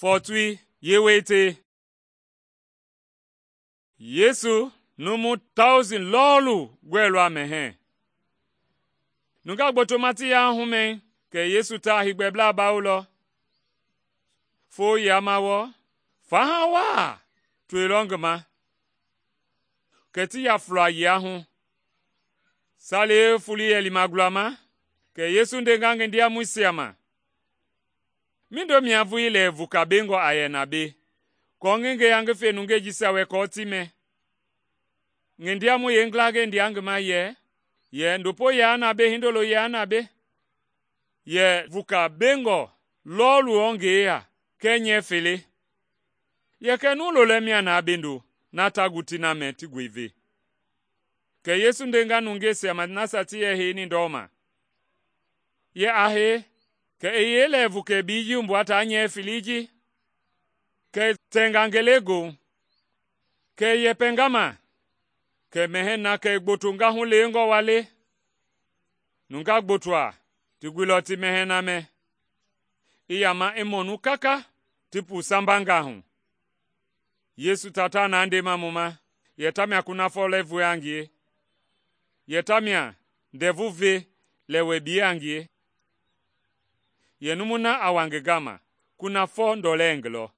Fɔɔtoi yeewete. Yesu numu 1000 lɔɔlu gɔɛilɔ a mɛhɛɛ. Nungaa gbotoma ti yaa humɛi kɛ Yesu ta heegbɛblaa bawolɔ. Foo yama wɔɔ, faha waa toilɔ ngi ma, kɛ ti ya fula yia hu. Saliei foloi yɛ lima gulama, kɛ Yesu ndenga ngi ndiamɔisia ma, “Mindo mia vulii lɛ vuka bengɔ a yɛ na mbei, aako ngi ngeya ngi fe nungei jisia wɛ aako ti mɛ?” Ngi ndiamɔi yeengilangɛi ndea ngi ma yɛ ndopo yaa na mbei, hindolo yaa na mbei. Yɛ vuka bengɔ lɔɔlu wɔɔ ngi yeya kɛɛ nyɛɛ fele. Yɛ kɛ nuu lolɛ mia na bendo, na ta gu ti na mɛ ti goi ve. Kɛ Yesu ndenga nungeisia ma nasia ti yɛ heini ndɔma, yɛ a hei, kɛ i yee lɛ vukɛ bii ji wumbua taa nyɛɛ felei ji? Kɛ i tɛnga ngelegoohu, kɛ i yɛpɛnga ma, kɛ mɛhɛɛ na kɛ i gbotonga hulewengɔ wa le. Nungaa gbotoa ti guilɔ ti mɛhɛɛ na mɛ, i yama i mɔnu kaka ti puu sambanga hu. Yesu tata na ndema mu ma, yɛ tamia kunafɔ lɛ hoe a ngie, yɛ tamia ndɛvu ve lɛ wɛ bie a ngie. Yɛ numu na a wa ngi gama, kunafɔ ndɔlɛ i ngi lɔ.